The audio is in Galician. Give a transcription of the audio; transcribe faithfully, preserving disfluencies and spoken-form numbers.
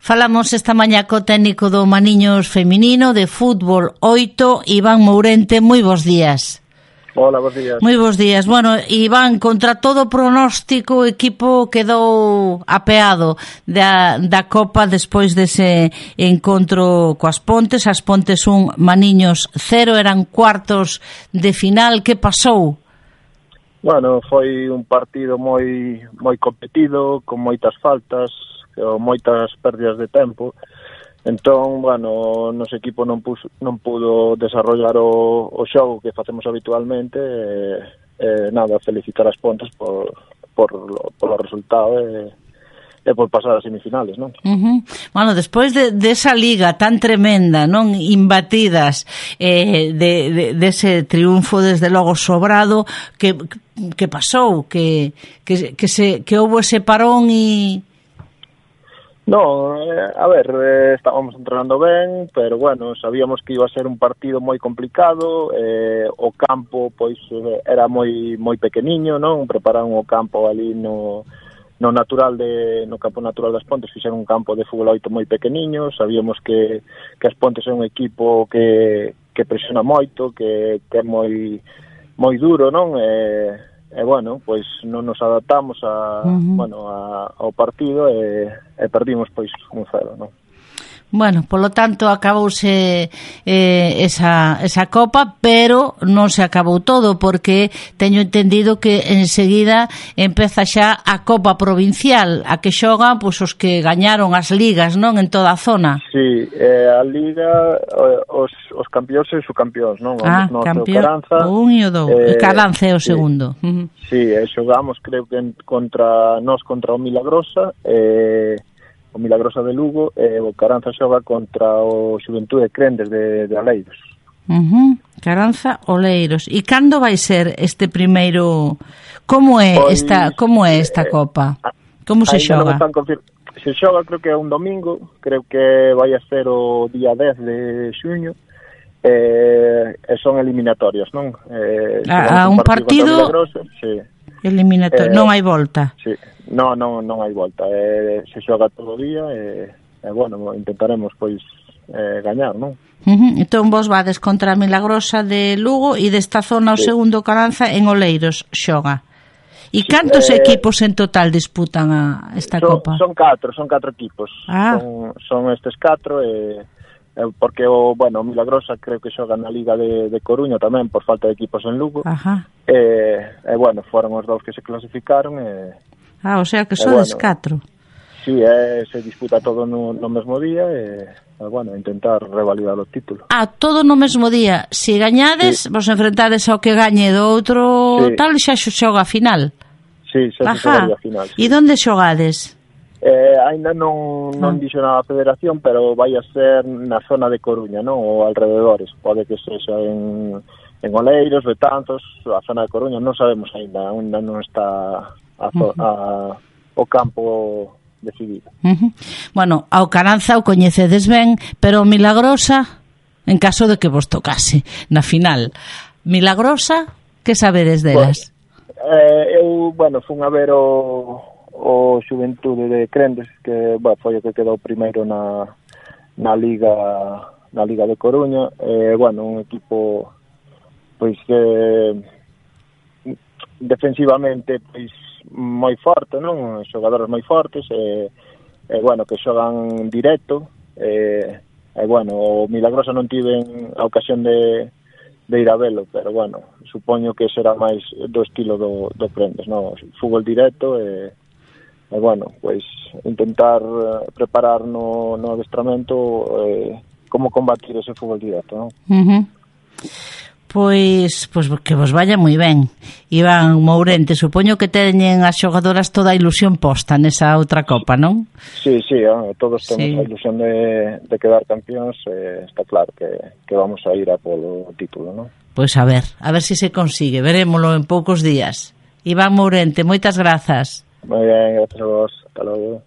Falamos esta mañá co técnico do Maniños feminino de fútbol oito, Iván Mourente. Moi bons días. Hola, bons días. Moi bons días. Bueno, Iván, contra todo pronóstico, o equipo quedou apeado da, da Copa despois dese encontro coas Pontes. As Pontes un, Maniños cero, eran cuartos de final. Que pasou? Bueno, foi un partido moi moi competido, con moitas faltas, ou moitas pérdidas de tempo. Entón, bueno, o noso equipo non, puso, non pudo desarrollar o, o xogo que facemos habitualmente. E, e nada, felicitar as Pontes por, por, por o resultado e, e por pasar as semifinales, non? Uh-huh. Bueno, despois de, de esa liga tan tremenda, non, imbatidas, eh, de, de, de ese triunfo desde logo sobrado, que, que pasou? Que, que, que, se, que houbo ese parón e... No, eh, a ver, eh, estábamos entrenando ben, pero bueno, sabíamos que iba a ser un partido moi complicado. Eh, o campo, pois, eh, era moi moi pequeniño, non? Prepararon o campo ali no, no natural de no campo natural das Pontes, fixeron un campo de fútbol oito moi pequeniño. Sabíamos que, que as Pontes é un equipo que, que presiona moito, que, que é moi moi duro, non? Eh, E, bueno, pois non nos adaptamos a, uh-huh. bueno, a, ao partido e, e perdimos, pois, un cero, non? Bueno, polo tanto, acabouse eh, esa, esa Copa, pero non se acabou todo, porque teño entendido que enseguida empeza xa a Copa Provincial, a que xogan pois, os que gañaron as ligas, non, en toda a zona. Sí, eh, a liga, os, os campións e os subcampións, non? Ah, no, campeón, o un e o dous, eh, e Caranza é o sí, segundo. Uh-huh. Sí, e xogamos, creo que en, contra nós contra o Milagrosa, e... Eh, o Milagrosa de Lugo, e o Caranza xoga contra o Xuventude Crendes de, de Oleiros. Uh-huh. Caranza, Oleiros. E cando vai ser este primeiro... Como é pois, esta como é esta eh, Copa? Como se xoga? Confir... Se xoga, creo que é un domingo, creo que vai a ser o día dez de xuño, eh, e son eliminatorias, non? Eh, a, a un partido... partido sí. Eliminatorio, eh, non hai volta. Sí. No, no, non hai volta, eh, se xoga todo o día e, eh, bueno, intentaremos pois eh, gañar, non? Uh-huh. Entón vos vades contra a Milagrosa de Lugo e desta zona o sí. segundo Caranza en Oleiros xoga. E sí, cantos eh, equipos en total disputan a esta son, Copa? Son catro, son catro equipos. Ah. Son, son estes catro e eh, porque o, bueno, o Milagrosa creo que xoga na Liga de, de Coruña tamén por falta de equipos en Lugo. Ajá. E, eh, bueno, foron os dous que se clasificaron e Ah, o sea que sodes bueno, catro. Sí, eh, se disputa todo no, no mesmo día e, eh, bueno, intentar revalidar o título. Ah, todo no mesmo día. Se gañades, sí. vos enfrentades ao que gañe do outro sí. tal, xa xoga a final. Sí, xa xoga a final. Sí. E onde xogades? Eh, ainda non, non ah. dixo nada a federación, pero vai a ser na zona de Coruña, non? Ou alrededores. Pode que sexa en, en Oleiros, Betanzos, a zona de Coruña, non sabemos ainda, ainda non está... A, uh-huh. a, o campo decidido. Uh-huh. Bueno, ao Caranza o coñecedes ben, pero o Milagrosa, en caso de que vos tocase na final. Milagrosa, que sabedes delas? Pues, eh, eu, bueno, fun a ver o, o Xuventude de Crendes, que, bueno, foi o que quedou primeiro na, na Liga na Liga de Coruña, e, eh, bueno, un equipo pois que defensivamente pois moi forte, non? Xogadores moi fortes e, e bueno, que xogan directo e, e bueno, o Milagrosa non tiven a ocasión de, de ir a velo, pero bueno, supoño que será máis do estilo do, do Crendes, non? Fútbol directo e, e bueno, pois intentar preparar no, no adestramento eh, como combatir ese fútbol directo, non? Uh-huh. Pois, pois que vos vaya moi ben. Iván Mourente, supoño que teñen as xogadoras toda a ilusión posta nesa outra Copa, non? Sí, sí, eh, todos temos sí. a ilusión de, de quedar campións, eh, está claro que, que vamos a ir a polo título, non? Pois a ver, a ver se si se consigue, verémolo en poucos días. Iván Mourente, moitas grazas. Moi ben, gracias a vos, hasta logo.